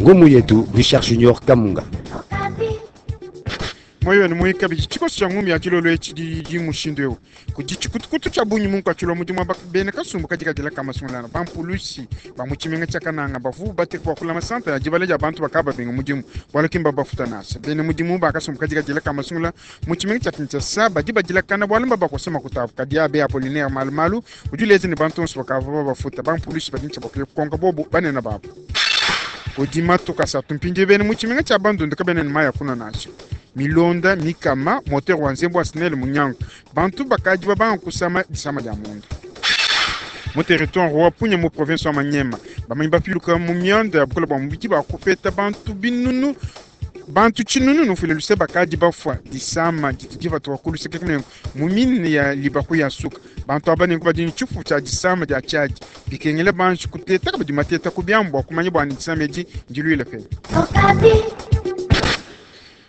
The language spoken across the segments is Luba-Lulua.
Ngumu yetu Richard Junior Kamunga. Moyo wenu muyi kabidi tshikoso tshia ngumu ya dilolo etshi didi mushindu eu. Kudi tshikutukutu tshia bungi munkatshi lua mudimu wa bena kasumbu kadi kadila ka masungulana bampulushi ba mu tshimenga tshia Kananga bavua bateka bua kulama santa ya dibala dia bantu bakaba babenga mudimu bualu ki mbabafuta nansha. Bena mudimu ba kasumbu kadi kadila ka masungula mu tshimenga tshia Kinshasa badi badilakana bualu mbabakosa makuta abu. Kadi Abe Apollinaire Malumalu udi uleja ne bantu bonso bakavua babafuta bampulushi badi ne tshia bua kuya kukonka bobu banene babu. Kudi matuku asatu mpindieu bena mu tshimenga tshia Bandundu kabena ne mayi a kunua nansha. Milonda mikama, moteur wa nzembu wa SNEL munyanguka, bantu bakadi babanga kusama disama dia munda. Mu territoire wa Punya mu province wa Maniema, bamanyi bapiluka mu mianda ya bukole bua mubidi bakupeta bantu binunu bantu tshinunu nufuile luse bakadi bafua disama didi dipatuka ku luseke kunenku mu mine ya libaku ya suka. Bantu aba nenku badi ne tshifu tshia disama dia tshiadi, bikengela banji kuteta kabidi mateta ku biamu bua kumanya bua ne disama edi ndiluile penyi.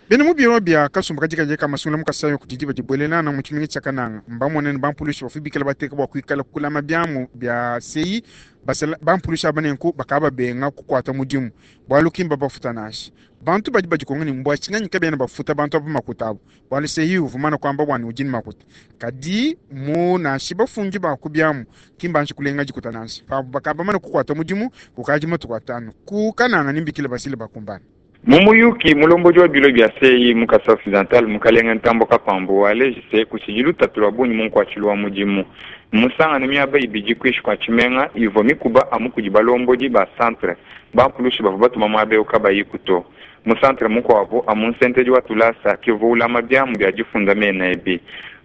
Bena mu biro bia kasumbu kadi kadi ka masungula mu Kasaï kudi diba dibuelelana mu tshimenga tshia Kananga mbamone ne bampulushi bavua bikale bateka bua kuikala kulama biamu bia CI basala bampulushi aba nenku bakababenga kukuata mudimu bualu ki mbabafuta nansha. Bantu badi badikonga ne mbua tshinganyi kabena bafuta bantu aba makuta abu bualu CI uvua mumane kuamba bua ne udi ne makuta kadi mu nansha bafundi ba ku biamu ki mbanji kulenga dikuta nansha pabu bakabamane kukuata mudimu kukadi matuku atanu ku Kananga ne mbikile basile bakumbana. Mu muyuki, mulombodi wa bilo bia CI mu Kasaï Occidental, Mukalenge Ntambo Kapambu, waleji se kutshidi lutatu lua bungi mu nkuatshilu wa mudimu. Mmusangane miaba ibidi kuinshi kua tshimenga ivua mikuba amu kudi balombodi ba centre bampulushi bavua batuma muaba eu kabayiku to. Mu centre mukuabu amu nsentedi wa tulasa ke uvua ulama biamu bia difunda mena ebi.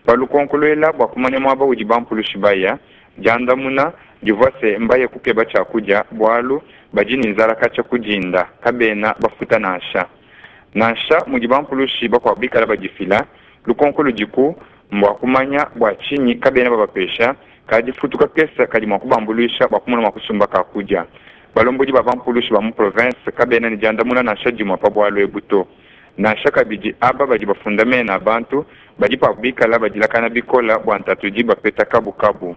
Pa lukonko luela bua kumanya muaba udi bampulushi baya, diandamuna divua se mbaye kukeba tshiakudia bualu badi ne nzala katshia ku dinda, kabena bafuta nansha. Nansha mudi bampulushi bakuabu bikala badifila, lukonko ludiku mbua kumanya bua tshinyi kabena babapesha kadifutu kakese kadi mua kubambuluisha bua kumona mua kusumba kakudia. Balombodi ba bampulushi ba mu province kabena ne diandamuna nansha dimue pa bualu ebu to. Nansha kabidi aba badi bafunda mena a bantu badi pabu bikala badilakana bikola bua ntatu idi bapeta kabukabu.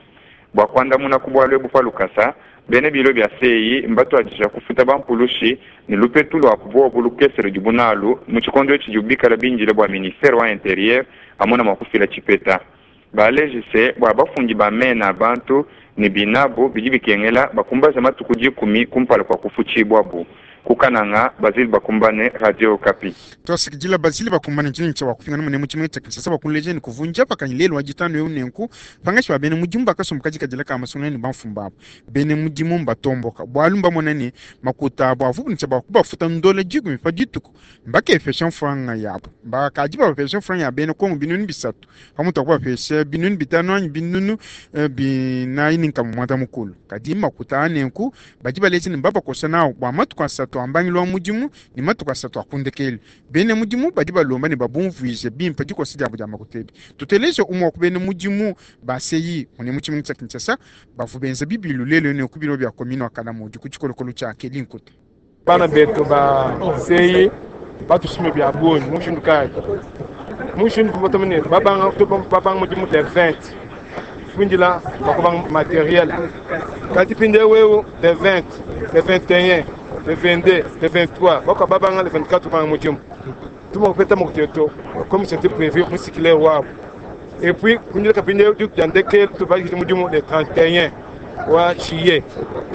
Bua kuandamuna ku bualu ebu pa lukasa, bena bilo bia CI mbatuadija kufuta bampulushi ne lupetu lua buobu lukese ludibu nalu mu tshikondo etshi tshidibu bikala bindile bua ministere wa interieur amona mua kufila tshipeta. Baleji se bua bafundi ba mena a bantu ne binabu bidi bikengela bakumbaja matuku 10 kumpala kua kufutshibuabu. Ku Kananga, Basile Bakumbane, Radio Okapi. Tuasakidila Basile Bakumbane ntshinyi tshia wakupingana mune mu tshimenga tshia Kinshasa bua kunleja ne kuvunja pakanyi lelu wa ditanu eu nenku pangatshi ba bena mudimu bakasumbu kadi kadila ka masungula ne bamfumu babu. Bena mudimu mbatomboka bualu mbamona ne makuta abu avuabu ne tshia bua kubafuta ndola 10 pa dituku mbakepesha mfranga yabu bakadi babapesha mfranga ya bena Kongo 300 pamutu pa kubapesha 500 anyi 450. Kadi makuta a nenku badi baleja ne mbabakosa nawu bua matuku asatu a mbangilu wa mudimu ne matuku asatu a ku ndekelu. Bena mudimu badi balomba ne babumvuije bimpe dikosa diabu dia makuta ebi. Tuteleje umue wa ku bena mudimu ba CI mune mu tshimenga tshia Kinshasa bavua benza bibilu lelu ne ku biro bia commune wa Kalamu udi ku tshikolokolo tshia Kelinkuta. Bana betu ba CI batushime bia bungi mu mushindu kayi? Mu mushindu ne babanga babanga mudimu le 20 fundila bakubanga materiel kadi mpindieu eu le 20 le 21 le 22 le 23 bakwa babanga le 24 banga mudimu tuma kupeta makuteto comme c'était prévu mu cyclaire wabo et puis kundila kapindieu dia ndekelu tubakije mudimu le 31 wa juillet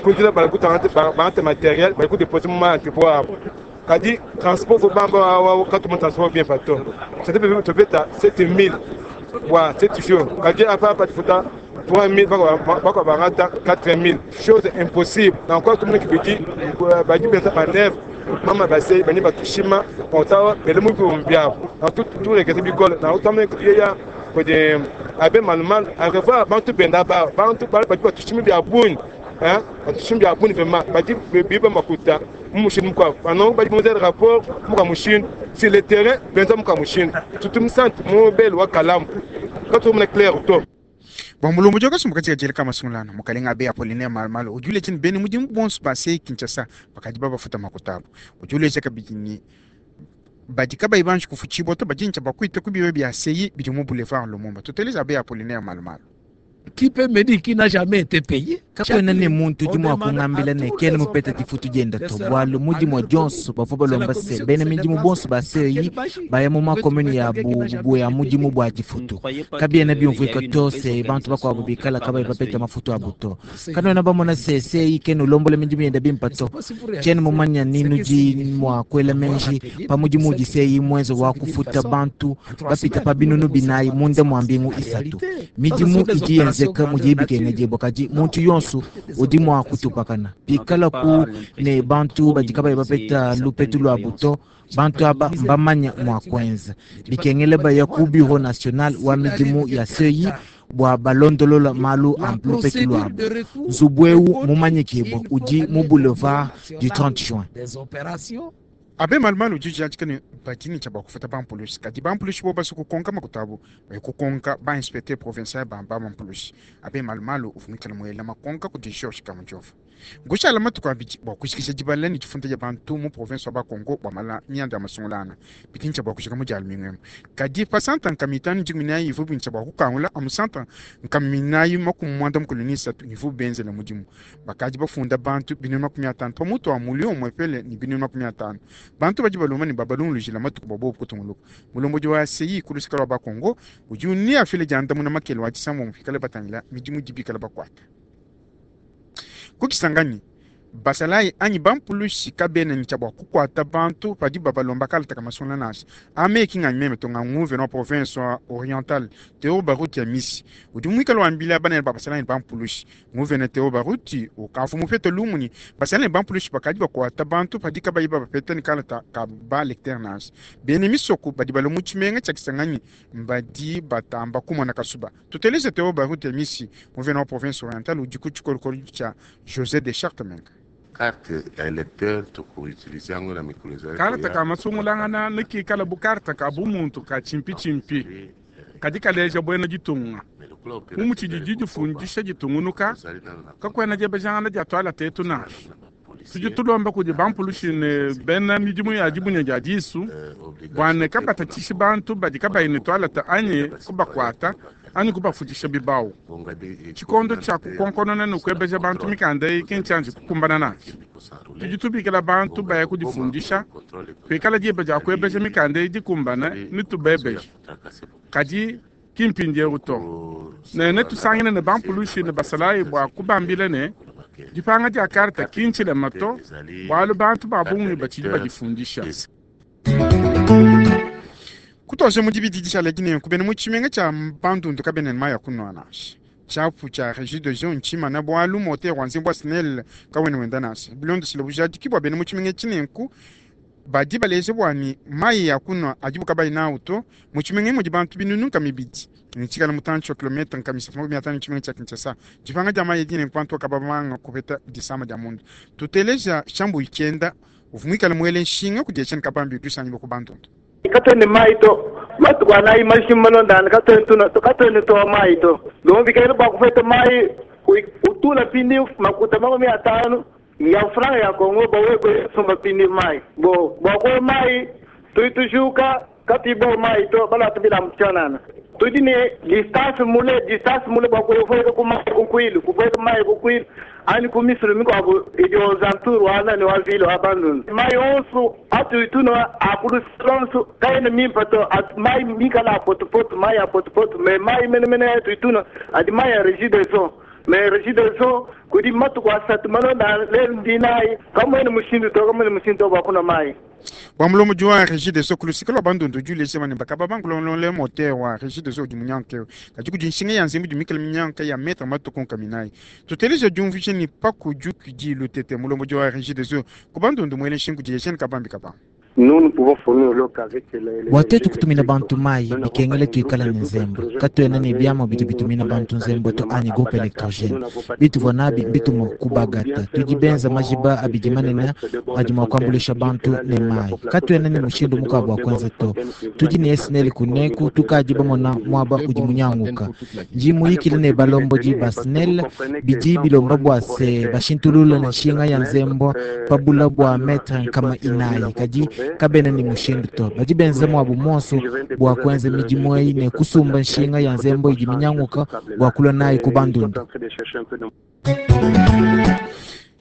kundila balakutangate bangate materiel balikudeposer mu ma-entrepôt abo kadi transport fo bamba wa katuma transport bien pato c'était prévu topeta 7000 bua 7 jours kadi apa apa tufuta 3000 bakwa bangata 4000 chose impossible. Donc kwa tumuna kibidi badi benza manœuvre mama base bani batushima otawa bele mu bihumbi byabo na turekete bikole na utamune yeya kudi abe malumalu a revoir bantu benda ba bantu badi batushima bya bungi hein batushima bya bungi vraiment badi biba makuta mu mushindu mukuabu ano badi benza rapport muka mushindu sur le terrain benza muka mushindu tutumusante mu bele wa kalamu katumuna clair to. Bua mulombo kasumbu katika jela kama sungulana mukalenga abe Apollinaire Malumalu udi uleja ne bena mudimu bonso ba CI Kinshasa bakadi babafuta makuta abu. Udi uleja kabidi ne badi kabayi banji kufutshibua to badi ne tshia bakuita ku biro bia CI bidi mu boulevard Lumumba. Tuteleja abe Apollinaire Malumalu. Qui peut me dire qui n'a jamais été payé? Kakuena ne muntu udi mua kungambila ne kena mupeta difutu dienda to, bualu mu dimua dionso bavua balomba se bena midimu bonso ba CEI baya mu makomune yabu ya mudimu bua difutu. Kabiena biumvuika to se bantu bakuabu bikala kabayi bapeta mafutu abu to. Kanuena bamona se CEI kena ulombola midimu yenda bimpa to. Tshiena mumanya ni nudi mua kuela meji pa mudimu udi CEI muenze wa kufuta bantu bapita pa binunu binayi munda mua mbingu isatu. Midimu idi yenzeka mudiyi bikengedibua, kadi muntu yonso udi mua kutupakana. Pikalaku ne bantu badi kabayi bapeta lupetu luabu to, bantu aba mbamanya mua kuenza. Bikengela baya ku bureau national wa midimu ya CEI bua balondolola malu a lupetu luabu. Nzubu eu mumanyikibua udi mu boulevard du 30 juin. Abe malumalu udi ujadika ne badi ne tshia bua kufuta bampulushi, kadi bampulushi bobu basue kukonka makuta abu baye kukonka ba inspecteur provincial ba bampulushi. Abe malumalu uvua muikale muela makonka kudi Georges Kamujova. Nkushala matuku abidi bua kujikija dibala ne difunda dia bantu mu province wa Bakongo bua mala mianda ya masungulangana. Bidi ne tshia bua kujika mu dia lumingu emu. Kadi pa santa nkama itanu dikumi nayi ivua ne tshia bua kukangula amu santa nkama inayi makumi muanda mukulu ne isatu ivuabu benzela mudimu. Bakadi bafunda bantu binunu 50 pa mutu wa mulio umuepele ne binunu 50. Bantu badi balomba ne babalungulujila matuku bua bobu kutunguluka. Mulombodi wa CEI ku luseke lua Bakongo udi neafile diandamuna makele wa disambombo pikale batangila midimu idi bikale bakuata. Ku Kisangani, basalayi anyi bampulushi kabena ne tshia bua kukuata bantu padibu babalomba kalata ka masungula nansha. Ame ki nganyi meme to, nga nguvena wa province wa Oriental Theo Baruti Amisi udi muikale wambila banene ba basalayi ne bampulushi. Nguvena Theo Baruti ukavua mupete lumu ne basalayi ne bampulushi bakadi bakuata bantu padi kabayi babapeta ne kalata ka ba lecteur nansha. Bena misoko badi balua mu tshimenga tshia Kisangani mbadi batamba kumona kasuba. Tuteleje Theo Baruti Amisi, nguvena wa province Oriental udi ku tshikolokolo tshia José de Chartres Menga. Carte ya electeur tukuutilize yango na mikolo ezali Karta ka masungulangana ne kikala bu karta ka bumuntu ka tshimpitshimpi kadi kaleja buena ditunga. Bu mutshidi didifundisha ditungunuka, kakuena diebejangana dia tuala tetu nansha. Tudi tulomba kudi bampulushi ne bena midimu ya dibunya dia disu bua ne kabatatshishi bantu badi kabayi ne tualata anyi kubakuata anyi kubafutshisha bibawu. Tshikondo tshia kukonkonona ne kuebeja bantu mikanda eyi ki ntshianji kukumbana nansha. Tudi tubikila bantu baya kudifundisha, pikala diba dia kuebeja mikanda eyi dikumbane, netubebeje. Kadi ki mpindieu to. Ne netusangile ne bampulushi ne basalayi bua kubambila ne, dipanga dia karte ki ntshilema to, bualu bantu ba bungi batshidi badifundisha. Kutuadija mu dibidi dishala edi nenku, bena mu tshimenga tshia Bandundu kabena ne mayi a kunua nansha. Tshiapu tshia Regideso ntshimana bualu motere wa nzembu wa SNEL kawena wenda nansha. Bilondeshile bujadiki bua bena mu tshimenga etshi nenku, badi baleja bua ne, mayi a kunua adibu kabayi nawu to mu tshimenga mudi bantu binunu 200 ne tshikala mutantshi wa kilometre 350 ne tshimenga tshia Kinshasa. Dipanga dia mayi edi nenku bantu kababanga kupeta disama dia munda. Tuteleja Shambuyi Tshienda uvua muikale muele nshinga kudi Etienne Kabambi udi usangibua ku Bandundu. Katuena ne mayi to. Matuku anayi majima malondangane katuena katuena tuowa mayi to. Donc bikengela bua kupeta mayi utula pindi makuta 50 ya franga ya Congo bua wewe kusumba pindi mayi. Bo bua kuowa mayi tudi tujuka katuyi bowa mayi to balua bilamba tshianana. Tudi ne distance mule distance mule bua kupueka ku mayi ku Kwilu kupueka mayi ku Kwilu anyi ku misulu mikuabu idi aux alentours wa nani wa ville wa Bandundu. Mayi onso atudi tunua a ku luseke luonso kaena mimpe to, mayi mikale a potopoto, mayi a potopoto mais mayi menemene atudi tunua adi mayi a Regideso. Mais Regideso kudi matuku asatu malonda lelu ndinayi kamuena mushindu to, kamuena mushindu to bua kunua mayi. Bua mulombodi wa Regideso ku luseke lua Bandundu udi uleja ne bakaba bankulongolole motere wa Regideso udi munyanguke eu, kadi kudi nshinga ya nzembu idi mikale minyanguke ya metre matuku 40. Tuteleja diumvuija ne pakujukidi lutete mulombodi wa Regideso ku Bandundu muele nshinga kudi Etienne Kabambi Kabamba. Bua tuetu kutumina bantu mayi, bikengela tuikala ne nzembu. Katuena ne biamua bidi bitumina bantu nzembu to anyi groupe electrogene. Bituvua nabi mbituma ku Bagata. Tudi benza majiba abidi manene adi mua kuambuluisha bantu ne mayi. Katuena ne mushindu mukuabu wa kuenza to. Tudi ne SNEL kuneku, tukadi bamona muaba udi munyanguka. Ndi muyikile ne balombodi ba SNEL, bidi bilomba bua se bashintulule nshinga ya nzembu pa bula bua metre 400. Kadi Kabena ne mushindu to. Badi benza muabu muonso bua kuenza midimu eyi ne kusumba nshinga ya nzembo idi minyanguka bua kulua nayi ku Bandundu.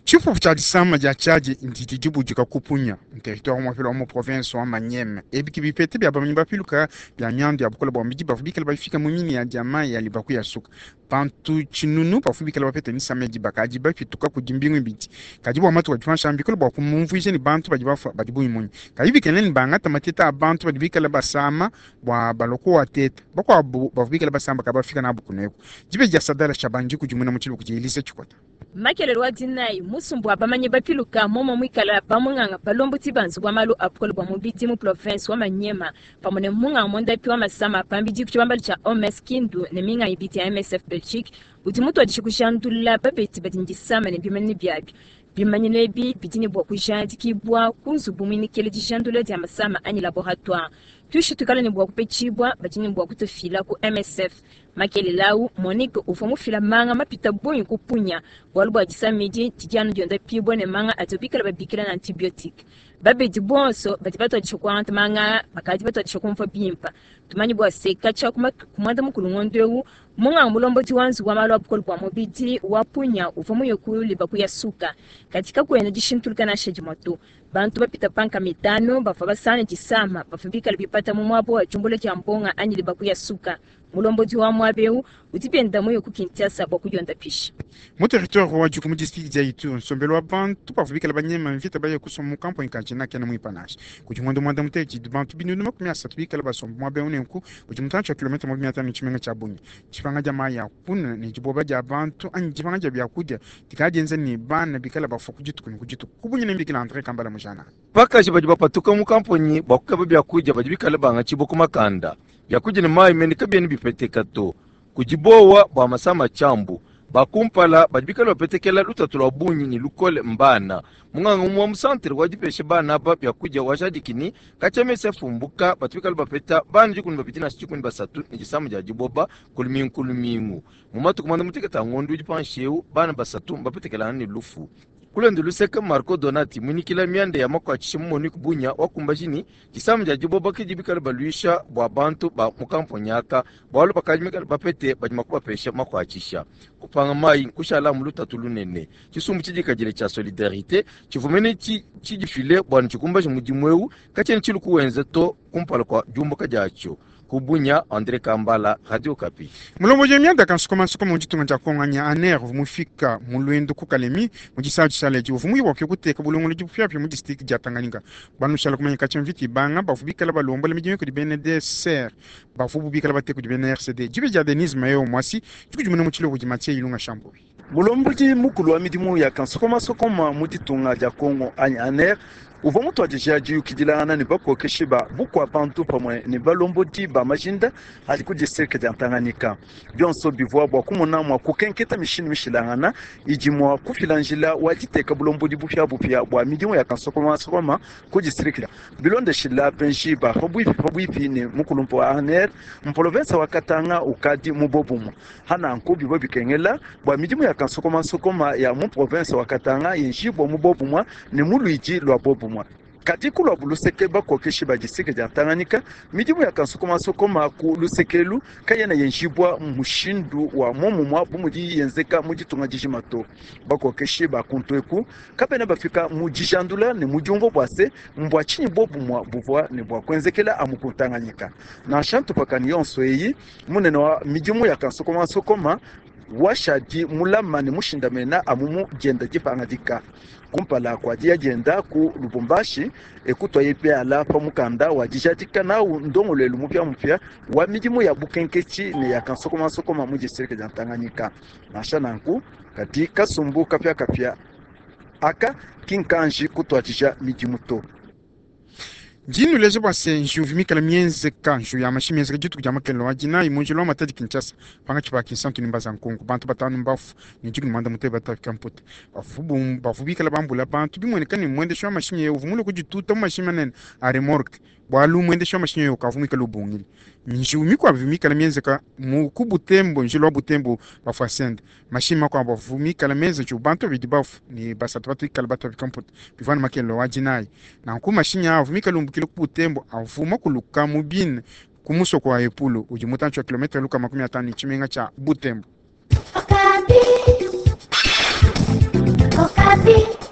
Tshipupu tshia disama dia tshiadi ndidi dibudika ku Punia, mu territoire muapele wa mu province wa Maniema. Ebi ke bipeta bia bamanyi bapiluka bia miandu ya bukole bua mubidi bavua bikale bafika mu mine ya diamant ya Libaku ya Suka. Bantu tshinunu bavua bikale bapeta misama edi bakadi bapituka kudi mbingu ibidi. Kadi bua matuku adi panshi aa mbikole bua kumumvuija ne bantu badi bafua badi bungi munyi. Kadi bikale ne bangata mateta a bantu badi bikale basama bua balua kuwateta. Bakuabu bavua bikale basamba kabafika nabu kuneku. Dibeji dia Sadala Shabani dikudimuna mu tshiluba kudi Elise Tshikota. Makelele wa dinayi, musumba wa bamanyi bapiluka momo muikala bamunganga balombodi ba nzubu wa malu a bukole bua mubidi mu province wa Maniema pamue ne munganga muondapi wa masama a pambidi ku tshibambalu tshia OMS Kindu ne minga ibidi ya MSF Belgique udi mutuadije kujandulula babedi badi ne disama ne bimanyinu biabi. Bimanyinu ebi bidi ne bua kujadikibua ku nzubu muinikile dijandula dia masama anyi laboratoire. Tuishi tuikala ne bua kupetshibua badi ne bua kutufila ku MSF. Makelela au, Monique uvua mufila manga mapita bungi ku Punia bualu bua disama edi didi anu diondapibua ne manga adibo bikala babikila ne antibiotique. Babedi bonso badi batuadija kuangata manga aa bakadi batuadija kumvua bimpe. Tumanye bua se, katshia ku matuku muanda mukulu ngondo eu, munganga mulombodi wa nzubu wa malu a bukole bua mubidi wa Punia uvua muye ku Libaku ya Suka. Kadi kakuena dishintuluka nansha dimue to. Bantu bapita pa nkama itanu bavua basangane disama bavua bikale bipata mu muaba wa diumbula dia mbonga anyi Libaku ya Suka. Mulombodi wa muaba eu udi penda muye ku Kinshasa bua kudiondapisha. Mu territoire wa Djugu mu district dia Ituri, nsombelu wa bantu bavua bikale banyema mvita baye kusomba mu kamponyi ka Djena kena muimpe nansha. Kudi ngondo muanda mutekete tshidi bantu 330 bikale basomba muaba eu, nenku udi mutantshi wa kilometre 50 ne tshimenga tshia Bunia. Dipanga dia mayi a kunua ne diboba dia bantu anyi dipanga dia biakudia dikala dienza ne bana bikale bafua ku dituku ne ku dituku. Ku Bunia ne mbikila Andre Kambala Mujana. Bakaji badi bapatuka mu kamponyi bua kukeba biakudia badi bikale bangatshibua ku makanda. Biakudia ne mayi mene kabiena bipeteka to. Kudi buowa bua masama a tshiambu. Ba kumpala badi bikale bapetekela lutatu lua bungi ne lukole mbana. Munganga umue wa mu santere wa dipesha bana aba biakudia wajadiki ne, katshia mese afumbuka, batu bikale bapeta bana dikumi ne babidi nansha dikumi ne basatu ne disama dia diboba ku lumingu ku lumingu. Mu matuku muanda mutekete a ngondo udi panshi eu, bana basatu mbapetekelangane ne lufu. Ku luende luseke, Marco Donati, muinyikila mianda ya makuatshisha mu Monique Bunia, wakumbaji ne, disama dia diboba ke didi bikale baluisha bua bantu ba mu kamponyi aka, bualu bakadi mikale bapete badi mua kubapesha makuatshisha. Kupanga mayi nkushala amu lutatu lunene. Tshisumbu tshidikadile tshia Solidarite tshivua mene tshidifile bua ne tshikumbaje mudimu eu, katshiena tshilu kuwenza to kumpala kua diumbuka diatshio. Ku Bunia, Andre Kambala, Radio Okapi. Mulombodi wa mianda kansukumansuku mu ditunga dia Congo anyi ANR uvua mufika mu luendu ku Kalemi mu disatu dishala edi uvua muye bua kuya kuteka bulongolodi bupiabupia mu district dia Tanganyika. Banushala kumanya katshia mvita ibanga bavua bikala balombola midimu kudi bena DSR bavua bu bikala bateka kudi bena RCD. Dibeji dia Denise Mayo Mwasi dikudimuna mu tshilobo kudi Mathieu Ilunga Shambuyi. Mulombodi mukulu wa midimu ya kansokomasokoma mu ditunga dia Congo anyi ANR uvua mutuadije diyukidilangana ne bakokeshi ba bukua-bantu pamue ne balombodi ba majinda adi ku distrike dia Tanganyika. Bionso bivua bua kumona mua kukenketa mishindu mishilangana idi mua kufila njila wa diteka bulombodi bupiabupia bua midimu ya kansokomasokoma ku distrike. Bilondeshila benji ba pabuipi pabuipi ne mukulumpe wa ANR, mpolovensa wa Katanga ukadi mu bobumue. Ha nanku bivua bikengela bua midimu ya kansokomansokoma ya mu province wa Katanga yenjibua mu bobumue ne mu luidi lua bobumue. Kadi ku luabu luseke, bakokeshi ba distrike dia Tanganyika, midimu ya kansokomansokoma ku luseke elu kayena yenjibua mushindu wa momumua bu mudiyi yenzeka mu ditunga dijima to. Bakokeshi ba kuntu eku kabena bafika mu dijandula ne mu diumvua bua se, mbua tshinyi bobumua buvua ne bua kuenzekela amu ku Tanganyika. Nansha ntupakanyi yonso eyi, munene wa midimu ya kansokomansokoma washadi mulama ne mushindamena amu mu dienda dipangadika. Kumpala kua diya dienda ku Lubumbashi, e kutuaye biala pa mukanda wa dijadika nawu ndongoluelu mupiamupia wa midimu ya bukenketshi ne ya kansokomansokoma mu distrike dia Tanganyika. Nansha nanku, kadi kasumbu kapiakapia aka ki nkanji kutuadija midimu to. Ndi nnuleja bua se, njiwu ivua mikale mienzeka, njiwu ya mashi mienzeka dituku dia makelele wa Dinayi mu njila wa Matadi Kinshasa, pankatshi pa Kinsantu ne Mbanza Nkongo. Bantu batanu mbafue ne 18 batapika mputa. Bavua bikale bambula bantu, bimueneka ne, muendeshi wa mashinyi eu uvua mulue kudituta mu mashinyi manene a remorque. Bualu muendeshi wa mashinyi ewu kavua muikale ubungila. Njiwu mikuabu ivua mikale mienzeka mu ku Butembo, njila wa Butembo Bafwasende. Mashinyi makuabu avua mikale menze njiwu, bantu babidi bafue ne basatu batu ikale batapika mputa. Bivua anu makelela wa dinayi. Nanku mashinyi aa avua mikale umbukila ku Butembo avua makuluka mu bina ku musoko wa Epulu udi mutantshi wa kilometre 50 ne tshimenga tshia Butembo. Okapi. Okapi.